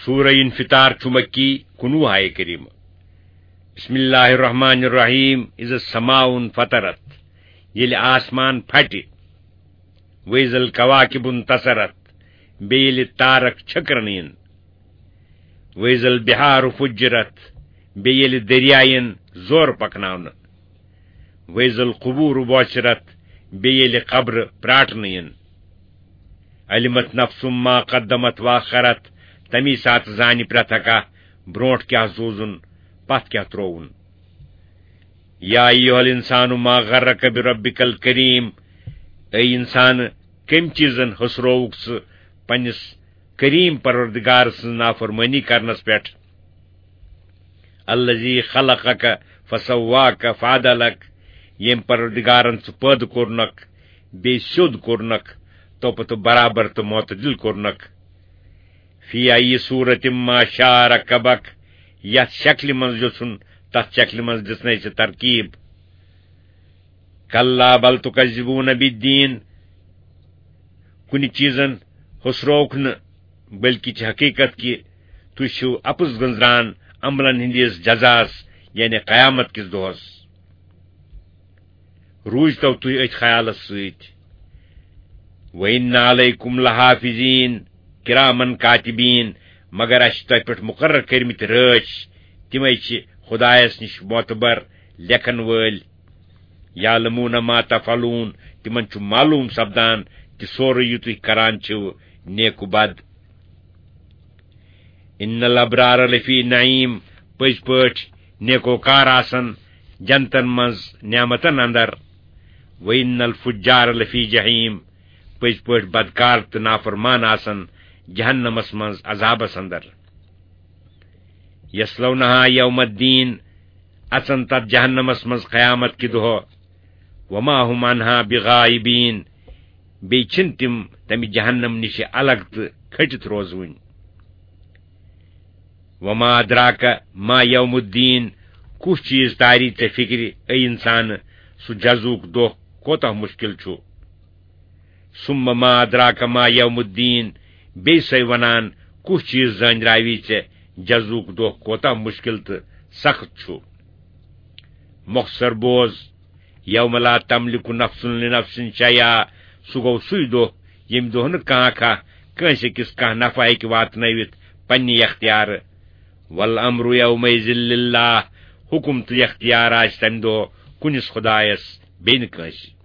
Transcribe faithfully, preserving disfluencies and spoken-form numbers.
سورہ انفطار چھُ مکی، کُنوُہ آیہِ کریمہ۔ بسم اللہ الرحمن الرحیم۔ اذا السماء انفطرت، ییٚلہِ آسمان پھٹہِ۔ واذا الکواکب انتثرت، بیٚیہِ ییٚلہِ تارک چھٔکرنہٕ یِن۔ واذا البحار فجرت، بیٚیہِ ییٚلہِ دٔریاے یِن زورٕ پکناونہٕ۔ واذا القبور بعثرت، بیٚیہِ ییٚلہِ قبرٕ پراٹنہٕ یِن۔ علمت نفس ما قدمت واخرت، تمی ساتہٕ زانہِ پرٛٮ۪تھ اکھ برونٛٹھ کیٛاہ زوٗزُن، پتھ کیٛاہ ترووُن۔ یا ایھا الانسان ما غرک بربک الکریم، اے انسان، کٔمۍ چیٖزن ہسرووُکھ ژٕ پننِس کریم پروردگار سٕنٛز نافرمٲنی کرنس پٮ۪ٹھ؟ الذی خلقک فسواک فعدلک، ییٚمۍ پروردگارن ژٕ پٲدٕ کوٚرنکھ، بیٚیہِ سیوٚد کوٚرنکھ، توپتہٕ برابر تہٕ معتدل کوٚرنکھ۔ فی ای صورت ما شاء رکبک، یتھ شکلہِ منٛز یژھُن، تتھ شکلہِ منٛز دِژنے ژےٚ ترکیب۔ کلا بل تکذبون بالدین، کُنہِ چیٖزن ہُسرووُکھ نہٕ، بلکہِ چھِ حقیقت کہِ تُہۍ چھِو اپُز گٔنزران عملن ہٕنٛدِس جزاہس، یعنی قیامت کِس دۄہس۔ روٗزتو تُہۍ أتھۍ خیالس سۭتۍ۔ وَإِنَّ عَلَيْكُمْ لَحَافِظِينَ كِرَامًا كَاتِبِينَ، مگر اَسہِ چھِ تۄہہِ پٮ۪ٹھ مُقرر کٔرمٕتۍ رٲچھ، تِمے چھِ خۄدایس نِش معتبر لیکھن وٲلۍ۔ يَعْلَمُونَ مَا تَفْعَلُونَ، تِمن چھُ معلوٗم سپدان تہِ سورُے یہِ تُہۍ کران چھِو، نیک و بد۔ ان الابرار لفی نعیم، پٔزۍ پٲٹھۍ نیکوکار آسن جنتن منٛز نعمتن اندر۔ و ان الفجار لفی جحیم، پٔزۍ پٲٹھۍ بدکار تہٕ نافرمان آسن جہنمس منٛز عذابس اندر۔ یصلونہا یوم الدین، اژن تتھ جہنمس منٛز قیامت کہِ دۄہ۔ وما هم عنہا بغائبین، بیٚیہِ چھِنہٕ تِم تمہِ جہنم نِش الگ تہٕ کھٔٹِتھ روزوٕنۍ۔ وما ادراک ما یوم الدین، کُس چیٖز تاری ژےٚ فِکرِ، اے انسان، سُہ جزوُک دۄہ کوتاہ مُشکِل چھُ؟ ثم ما ادراک ما یوم الدین، بیٚیہِ سۄے ونان، کُس چیٖز زٲنراوی ژےٚ جزوُک دۄہ کوتاہ مُشکِل تہٕ سخت چھُ؟ مۄخصر بوز، یوم لا تملک نفس لنفس شیئا، سُہ گوٚو سُے دۄہ، ییٚمہِ دۄہ نہٕ کانٛہہ کانٛہہ کٲنٛسہِ أکِس کانٛہہ نفع ہیٚکہِ واتنٲوِتھ پننہِ اختیارٕ۔ والامر یومئذ للہ، حکم تہٕ اختیار آسہِ تمہِ دۄہ کُنِس خۄدایس، بیٚیہِ نہٕ کٲنٛسہِ۔